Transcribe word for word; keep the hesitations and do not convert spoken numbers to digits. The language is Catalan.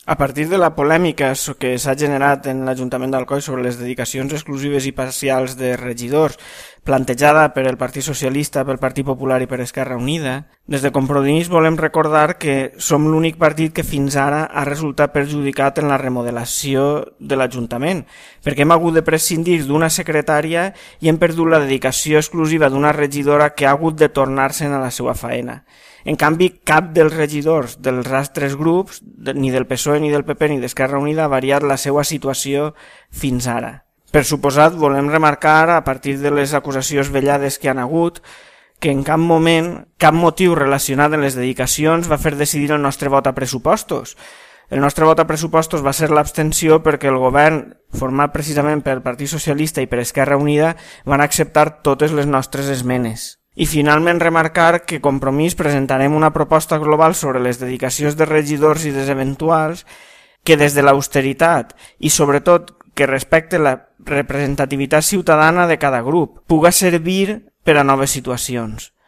A partir de la polèmica que s'ha generat en l'Ajuntament d'Alcoi sobre les dedicacions exclusives i parcials de regidors plantejada per el Partit Socialista, pel Partit Popular i per Esquerra Unida, des de Compromís volem recordar que som l'únic partit que fins ara ha resultat perjudicat en la remodelació de l'Ajuntament, perquè hem hagut de prescindir d'una secretària i hem perdut la dedicació exclusiva d'una regidora que ha hagut de tornar-se'n a la seva faena. En canvi, cap dels regidors dels altres grups, ni del P S O E, ni del P P, ni d'Esquerra Unida, ha variat la seva situació fins ara. Per suposat, volem remarcar, a partir de les acusacions vellades que han hagut, que en cap moment, cap motiu relacionat amb les dedicacions va fer decidir el nostre vot a pressupostos. El nostre vot a pressupostos va ser l'abstenció perquè el govern, format precisament pel Partit Socialista i per Esquerra Unida, van acceptar totes les nostres esmenes. I finalment remarcar que Compromís presentarem una proposta global sobre les dedicacions de regidors i dels eventuals que des de l'austeritat i sobretot que respecte la representativitat ciutadana de cada grup puga servir per a noves situacions.